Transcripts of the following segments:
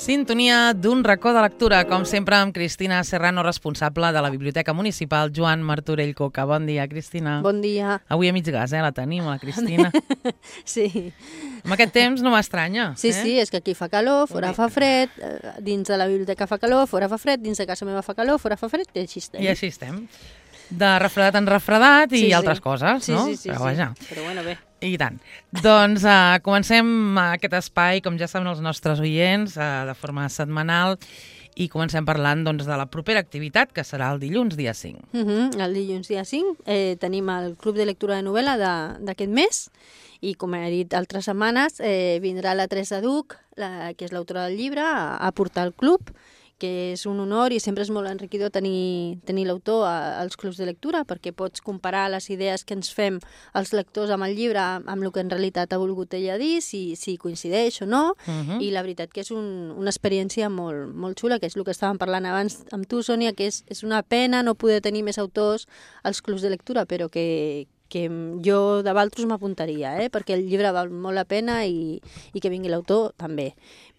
Sintonia d'un racó de lectura, com sempre amb Cristina Serrano, responsable de la Biblioteca Municipal Joan Martorell Coca. Bon dia, Cristina. Bon dia. Avui a mig gas, la tenim, la Cristina. Sí. Amb aquest temps no m'estranya. Sí, sí, és que aquí fa calor, fora fa fred, dins de la biblioteca fa calor, fora fa fred, dins de casa meva fa calor, fora fa fred, i així estem. I així estem. De refredat en refredat i altres coses, no? Sí, però vaja. Però bueno, bé. I tant. Doncs comencem aquest espai, com ja saben els nostres oients, de forma setmanal, i comencem parlant de la propera activitat, que serà el dilluns, dia 5. El dilluns, dia 5, tenim el Club de Lectura de Novel·la d'aquest mes, i com he dit altres setmanes, vindrà la Teresa Duc, que és l'autora del llibre, a portar al club, que és un honor i sempre és molt enriquidor tenir l'autor als clubs de lectura, perquè pots comparar les idees que ens fem els lectors amb el llibre amb el que en realitat ha volgut ella dir, si coincideix o no, i la veritat que és una experiència molt, molt xula, que és el que estàvem parlant abans amb tu, Sònia, que és una pena no poder tenir més autors als clubs de lectura, però que jo de Valtros m'apuntaria, perquè el llibre val molt la pena i que vingui l'autor també.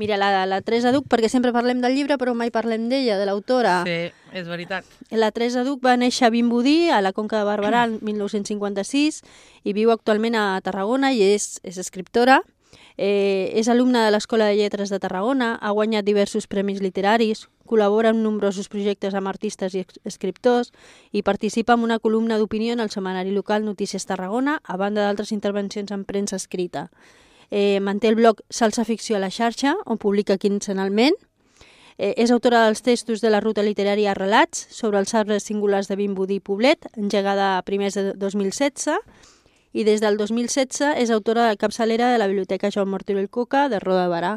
Mira, la Teresa Duc, perquè sempre parlem del llibre però mai parlem d'ella, de l'autora. Sí, és veritat. La Teresa Duc va néixer a Vimbodí, a la Conca de Barberà, el 1956, i viu actualment a Tarragona i és escriptora. És alumna de l'Escola de Lletres de Tarragona, ha guanyat diversos premis literaris, col·labora en nombrosos projectes amb artistes i escriptors i participa en una columna d'opinió en el setmanari local Notícies Tarragona, a banda d'altres intervencions en premsa escrita. Manté el blog Salsa Ficció a la xarxa, on publica quinzenalment. És autora dels textos de la ruta literària Relats sobre els arbres singulars de Vimbodí i Poblet, engegada a primers de 2016, i des del 2016 és autora de capçalera de la Biblioteca Joan Martorell Coca de Roda de Barà.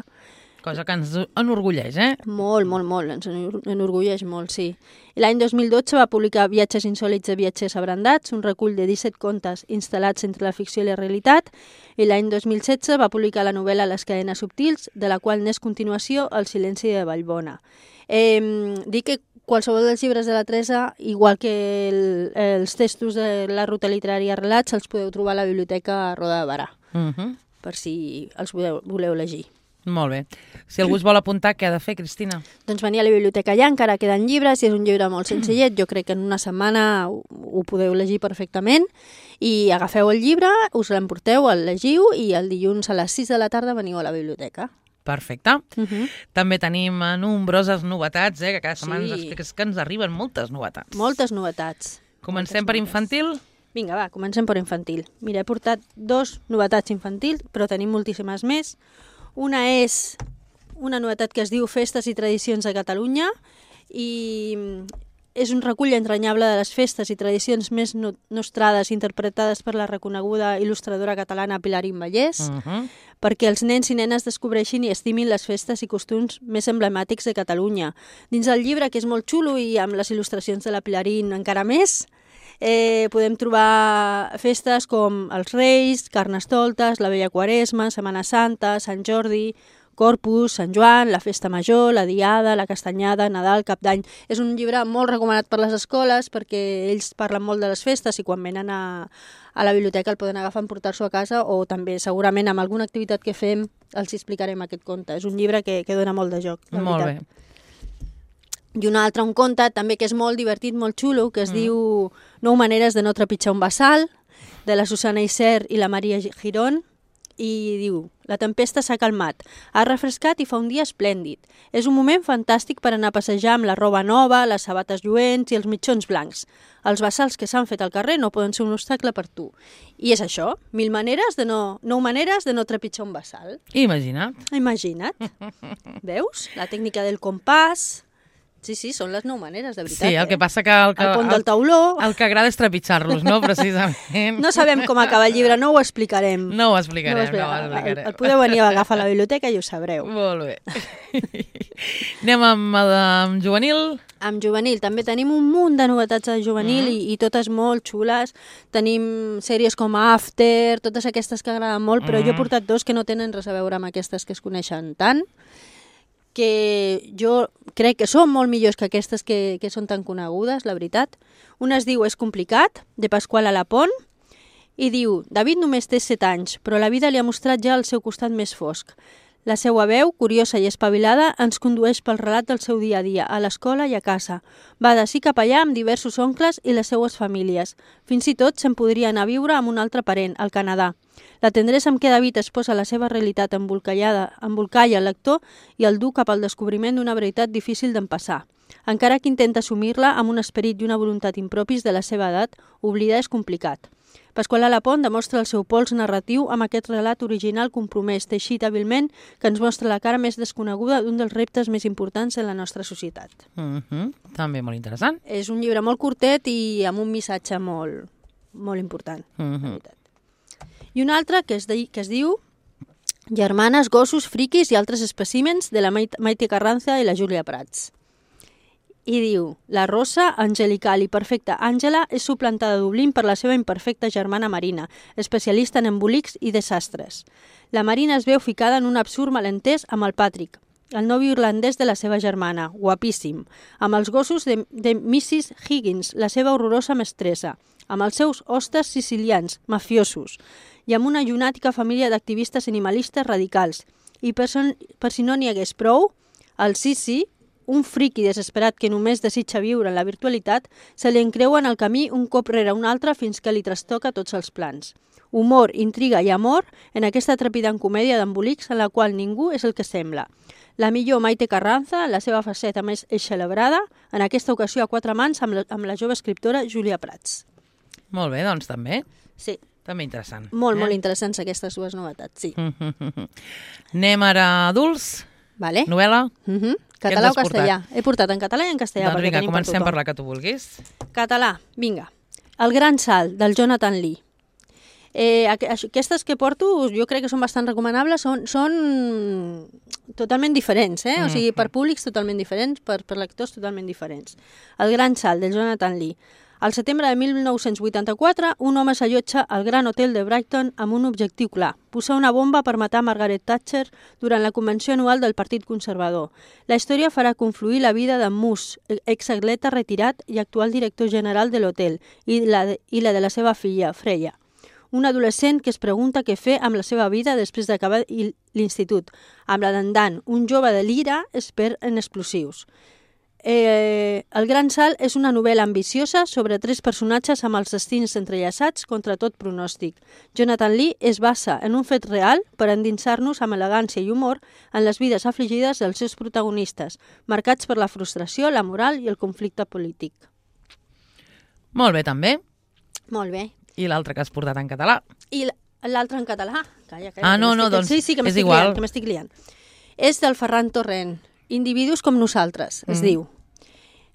Cosa que ens enorgulleix, Molt, molt, molt, ens enorgulleix molt, sí. L'any 2012 va publicar Viatges insòlits de viatgers abrandats, un recull de 17 contes instal·lats entre la ficció i la realitat, i l'any 2016 va publicar la novel·la Les cadenes subtils, de la qual n'és continuació El silenci de Vallbona. Dic que qualsevol dels llibres de la Teresa, igual que els textos de la ruta literària Relats, els podeu trobar a la biblioteca Roda de Barà, per si els voleu llegir. Molt bé. Si algú es vol apuntar, què ha de fer, Cristina? Doncs venir a la biblioteca allà, encara queden llibres, si és un llibre molt senzillet, jo crec que en una setmana ho podeu llegir perfectament, i agafeu el llibre, us l'emporteu, el llegiu, i el dilluns a les 6 de la tarda veniu a la biblioteca. Perfecte. També tenim nombroses novetats, que cada setmana ens expliques que ens arriben moltes novetats. Moltes novetats. Comencem per infantil? Vinga, va, comencem per infantil. Mira, he portat 2 novetats infantils, però tenim moltíssimes més. Una és una novetat que es diu Festes i tradicions de Catalunya i és un recull entranyable de les festes i tradicions més nostrades interpretades per la reconeguda il·lustradora catalana Pilarín Vallès, perquè els nens i nenes descobreixin i estimin les festes i costums més emblemàtics de Catalunya. Dins del llibre, que és molt xulo i amb les il·lustracions de la Pilarín encara més, podem trobar festes com els Reis, Carnestoltes, la Vella Quaresma, Setmana Santa, Sant Jordi, Corpus, Sant Joan, la Festa Major, la Diada, la Castanyada, Nadal, Cap d'Any. És un llibre molt recomanat per les escoles perquè ells parlen molt de les festes i quan venen a la biblioteca el poden agafar, emportar-s'ho a casa o també segurament amb alguna activitat que fem els explicarem aquest conte. És un llibre que dona molt de joc, la veritat. Molt bé. I un altre, un conte també que és molt divertit, molt xulo, que es diu 9 maneres de no trepitjar un bassal, de la Susana Isern i la Maria Girón, i diu: la tempesta s'ha calmat, ha refrescat i fa un dia esplèndid. És un moment fantàstic per anar a passejar amb la roba nova, les sabates lluents i els mitjons blancs. Els bassals que s'han fet al carrer no poden ser un obstacle per tu. I és això, 9 maneres de no trepitjar un bassal. Imagina't. Veus? La tècnica del compàs. Sí, són les 9 maneres, de veritat. Sí, el que passa que el pont del tauló. El que agrada és trepitjar-los, no? Precisament. No sabem com acaba el llibre, no ho explicarem. No ho explicarem. El podeu venir a agafar a la biblioteca i ho sabreu. Molt bé. Anem amb juvenil. Amb juvenil també tenim un munt de novetats de juvenil i totes molt xules. Tenim sèries com After, totes aquestes que agraden molt, però jo he portat 2 que no tenen res a veure amb aquestes que es coneixen tant, que jo crec que són molt millors que aquestes que són tan conegudes, la veritat. Una es diu És complicat, de Pasqual Alapont, i diu: David només té 7 anys, però la vida li ha mostrat ja el seu costat més fosc. La seva veu, curiosa i espavilada, ens condueix pel relat del seu dia a dia, a l'escola i a casa. Va d'ací cap allà amb diversos oncles i les seues famílies. Fins i tot se'n podria anar a viure amb un altre parent, al Canadà. La tendresa amb què David exposa la seva realitat embolcalla el lector i el du cap al descobriment d'una veritat difícil d'empassar. Encara que intenta assumir-la amb un esperit i una voluntat impropis de la seva edat, oblidar és complicat. Pasqual Alapont demostra el seu pols narratiu amb aquest relat original compromès, teixit hàbilment, que ens mostra la cara més desconeguda d'un dels reptes més importants en la nostra societat. També molt interessant. És un llibre molt curtet i amb un missatge molt, molt important. I un altre que es diu Germanes, gossos, friquis i altres espècimens de la Maite Carranza i la Júlia Prats. I diu, la rosa, angelical i perfecta Àngela és suplantada a Dublín per la seva imperfecta germana Marina, especialista en embolics i desastres. La Marina es veu ficada en un absurd malentès amb el Patrick, el nòvio irlandès de la seva germana, guapíssim, amb els gossos de Mrs. Higgins, la seva horrorosa mestressa, amb els seus hostes sicilians, mafiosos, i amb una llunàtica família d'activistes animalistes radicals. I per si no n'hi hagués prou, el Sissi, un friqui desesperat que només desitja viure en la virtualitat, se li encreua en el camí un cop rere un altre fins que li trastoca tots els plans. Humor, intriga i amor en aquesta trepidant comèdia d'embolics en la qual ningú és el que sembla. La millor Maite Carranza, la seva faceta més eixelebrada, en aquesta ocasió a quatre mans amb la jove escriptora Júlia Prats. Molt bé, doncs també. Sí. També interessant. Molt interessants aquestes dues novetats, sí. Anem ara a adults. Vale. Novel·la. Català o castellà? He portat en català i en castellà. Doncs vinga, comencem per la que tu vulguis. Català, vinga. El gran salt, del Jonathan Lee. Aquestes que porto jo crec que són bastant recomanables, són totalment diferents, o sigui, per públics totalment diferents, per lectors totalment diferents. El gran salt, del Jonathan Lee. Al setembre de 1984, un home s'allotja al Gran Hotel de Brighton amb un objectiu clar, posar una bomba per matar Margaret Thatcher durant la convenció anual del Partit Conservador. La història farà confluir la vida d'en Moose, exatleta retirat i actual director general de l'hotel, i la de la seva filla, Freya. Un adolescent que es pregunta què fer amb la seva vida després d'acabar l'institut, amb la d'en Dan, un jove de l'ira expert en explosius. El Gran Salt és una novel·la ambiciosa sobre 3 personatges amb els destins entrellaçats contra tot pronòstic. Jonathan Lee es basa en un fet real per endinsar-nos amb elegància i humor en les vides afligides dels seus protagonistes, marcats per la frustració, la moral i el conflicte polític. Molt bé, també. Molt bé. I l'altre que has portat en català? I l'altre en català? Calla, doncs sí, que és igual. Que m'estic liant. És del Ferran Torrent. Individus com nosaltres, es diu.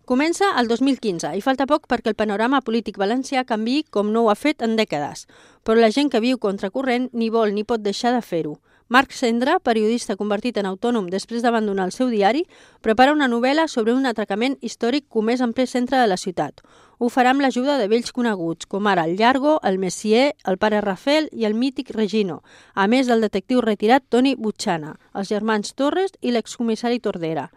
Comença el 2015 i falta poc perquè el panorama polític valencià canviï com no ho ha fet en dècades, però la gent que viu contracorrent ni vol ni pot deixar de fer-ho. Marc Cendra, periodista convertit en autònom després d'abandonar el seu diari, prepara una novel·la sobre un atracament històric comès en ple centre de la ciutat. Ho farà amb l'ajuda de vells coneguts, com ara el Llargo, el Messier, el pare Rafel i el mític Regino, a més del detectiu retirat Toni Butxana, els germans Torres i l'excomissari Tordera.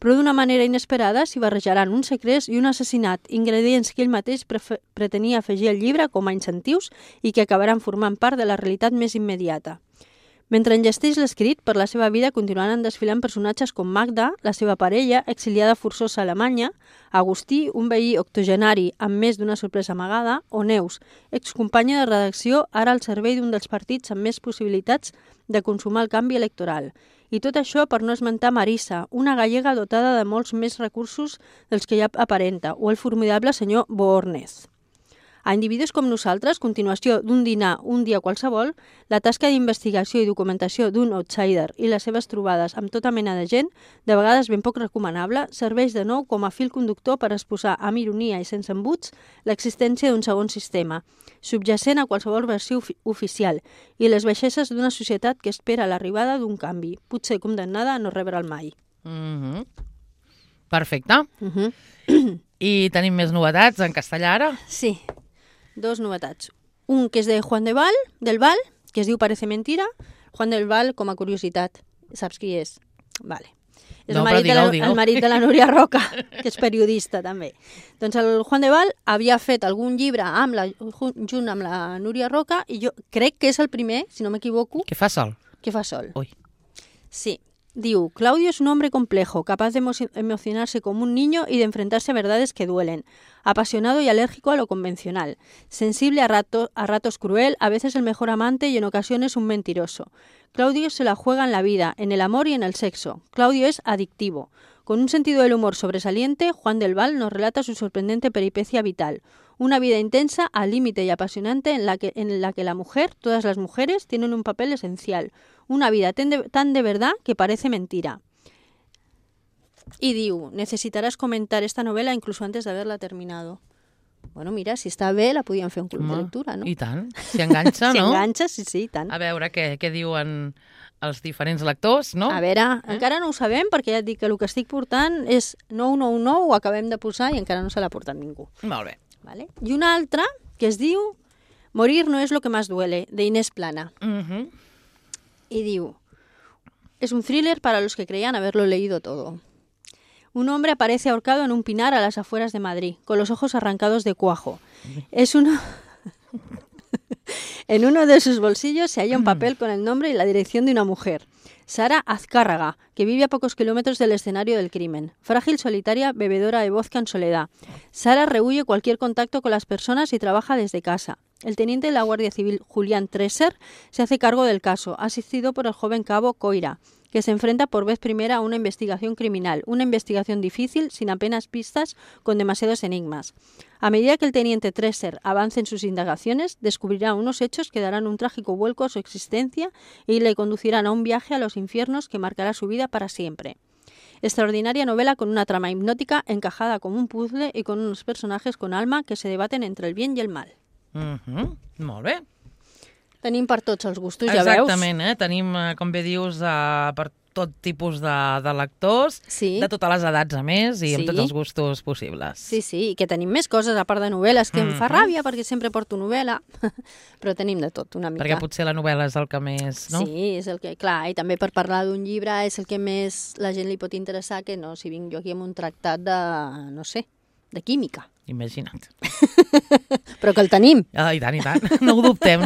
Però d'una manera inesperada s'hi barrejaran un segrest i un assassinat, ingredients que ell mateix pretenia afegir al llibre com a incentius i que acabaran formant part de la realitat més immediata. Mentre enllesteix l'escrit, per la seva vida continuaran desfilant personatges com Magda, la seva parella, exiliada forçosa a Alemanya, Agustí, un veí octogenari amb més d'una sorpresa amagada, o Neus, excompanya de redacció ara al servei d'un dels partits amb més possibilitats de consumar el canvi electoral. I tot això per no esmentar Marisa, una gallega dotada de molts més recursos dels que ja aparenta, o el formidable senyor Boornez. A Individus com nosaltres, continuació d'un dinar un dia qualsevol, la tasca d'investigació i documentació d'un outsider i les seves trobades amb tota mena de gent, de vegades ben poc recomanable, serveix de nou com a fil conductor per exposar amb ironia i sense embuts l'existència d'un segon sistema, subjacent a qualsevol versió oficial, i les baixeses d'una societat que espera l'arribada d'un canvi, potser condemnada a no rebre'l mai. Perfecte. I tenim més novetats en castellà ara? Sí. 2 novetats. Un que és de Juan del Val, que es diu Parece mentira. Juan del Val, com a curiositat, saps qui és? Vale. És el marit de la Núria Roca, que és periodista també. Doncs el Juan del Val havia fet algun llibre junt amb la Núria Roca i jo crec que és el primer, si no m'equivoco. Que fa sol. Que fa sol. Ui. Sí. Diu, Claudio es un hombre complejo, capaz de emocionarse como un niño y de enfrentarse a verdades que duelen. Apasionado y alérgico a lo convencional. Sensible a ratos cruel, a veces el mejor amante y en ocasiones un mentiroso. Claudio se la juega en la vida, en el amor y en el sexo. Claudio es adictivo. Con un sentido del humor sobresaliente, Juan del Val nos relata su sorprendente peripecia vital. Una vida intensa, al límite y apasionante en la que la mujer, todas las mujeres, tienen un papel esencial. Una vida tan de verdad que parece mentira. Y diu, necesitarás comentar esta novela incluso antes de haberla terminado. Bueno, mira, si està bé, la podíem fer un club de lectura, no? I tant, si enganxa, no? Si enganxa, sí, i tant. A veure què diuen els diferents lectors, no? A veure, encara no ho sabem, perquè ja et dic que el que estic portant és 999, ho acabem de posar i encara no se l'ha portat ningú. Molt bé. ¿Vale? Y una altra que es diu Morir no es lo que más duele, de Inés Plana. Y diu, es un thriller para los que creían haberlo leído todo. Un hombre aparece ahorcado en un pinar a las afueras de Madrid, con los ojos arrancados de cuajo. En uno de sus bolsillos se halla un papel con el nombre y la dirección de una mujer. Sara Azcárraga, que vive a pocos kilómetros del escenario del crimen. Frágil, solitaria, bebedora de vodka en soledad. Sara rehúye cualquier contacto con las personas y trabaja desde casa. El teniente de la Guardia Civil, Julián Tresser, se hace cargo del caso, asistido por el joven cabo Coira, que se enfrenta por vez primera a una investigación criminal, una investigación difícil, sin apenas pistas, con demasiados enigmas. A medida que el teniente Tresser avance en sus indagaciones, descubrirá unos hechos que darán un trágico vuelco a su existencia y le conducirán a un viaje a los infiernos que marcará su vida para siempre. Extraordinaria novela con una trama hipnótica encajada como un puzzle y con unos personajes con alma que se debaten entre el bien y el mal. Molt bé. Tenim per tots els gustos, ja veus? Exactament, tenim, com bé dius, per tot tipus de lectors, de totes les edats a més i amb tots els gustos possibles. Sí, i que tenim més coses a part de novel·les, que em fa ràbia perquè sempre porto novel·la, però tenim de tot una mica. Perquè potser la novel·la és el que més, no? Sí, és el que, clar, i també per parlar d'un llibre és el que més la gent li pot interessar, que no si vinc jo aquí amb un tractat de, no sé, de química. Imagina't. Però que el tenim. I tant. No ho dubtem.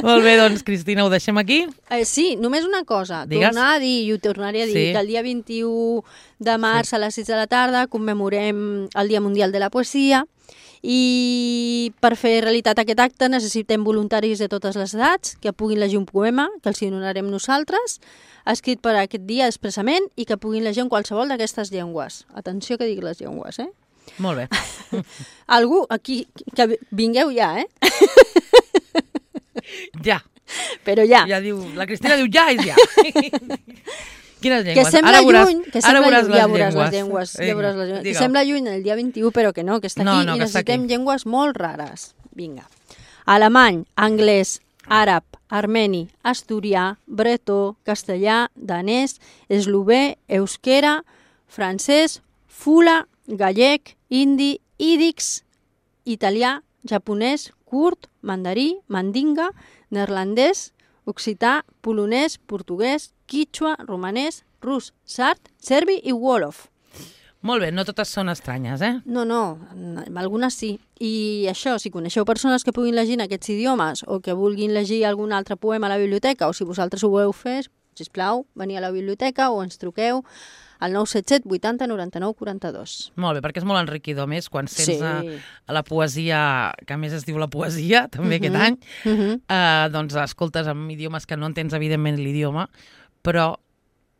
Molt bé, doncs, Cristina, ho deixem aquí? Sí, només una cosa. Digues. Tornar a dir, i ho tornaré a dir, que el dia 21 de març a les 6 de la tarda commemorem el Dia Mundial de la Poesia i per fer realitat aquest acte necessitem voluntaris de totes les edats que puguin llegir un poema, que els donarem nosaltres, escrit per aquest dia expressament i que puguin llegir en qualsevol d'aquestes llengües. Atenció que dic les llengües, Molt bé. Algú aquí, que vingueu ja, Ja. Però ja. Ja diu, la Cristina diu ja és ja. Quines llengües? Que sembla lluny, ja veuràs les llengües. Que sembla lluny el dia 21, però que no, que està aquí i necessitem llengües molt rares. Vinga. Alemany, anglès, àrab, armeni, asturià, bretó, castellà, danès, eslové, euskera, francès, fula, gallec, indi, ídix, italià, japonès, kurd, mandarí, mandinga, neerlandès, occità, polonès, portuguès, quichua, romanès, rus, sard, serbi i wolof. Molt bé, no totes són estranyes, No, algunes sí. I això, si coneixeu persones que puguin llegir en aquests idiomes o que vulguin llegir algun altre poema a la biblioteca o si vosaltres ho voleu fer, sisplau, veniu a la biblioteca o ens truqueu al 977 80 99 42. Molt bé, perquè és molt enriquidor més quan sents la poesia, que a més es diu la poesia, també aquest any, doncs escoltes en idiomes que no entens evidentment l'idioma, però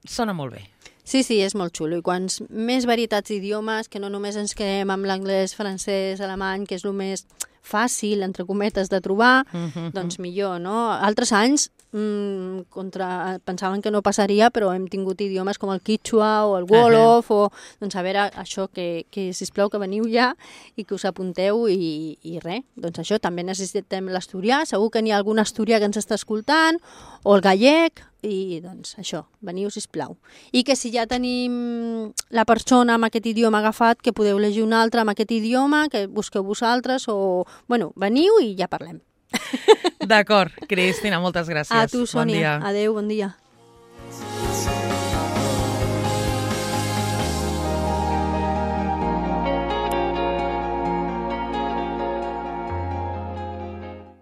sona molt bé. Sí, és molt xulo. I quants més varietats d'idiomes, que no només ens quedem amb l'anglès, francès, alemany, que és el més fàcil, entre cometes, de trobar, doncs millor, no? Altres anys pensaven que no passaria, però hem tingut idiomes com el quichua o el wolof, o doncs a veure, això, que sisplau que veniu ja i que us apunteu i res, doncs això, també necessitem l'asturià, segur que n'hi ha algun asturià que ens està escoltant, o el gallec, i doncs això, veniu sisplau. I que si ja tenim la persona amb aquest idioma agafat, que podeu llegir un altre amb aquest idioma, que busqueu vosaltres, o, bueno, veniu i ja parlem. D'acord, Cristina, moltes gràcies. A tu, Sònia. Adéu, bon dia.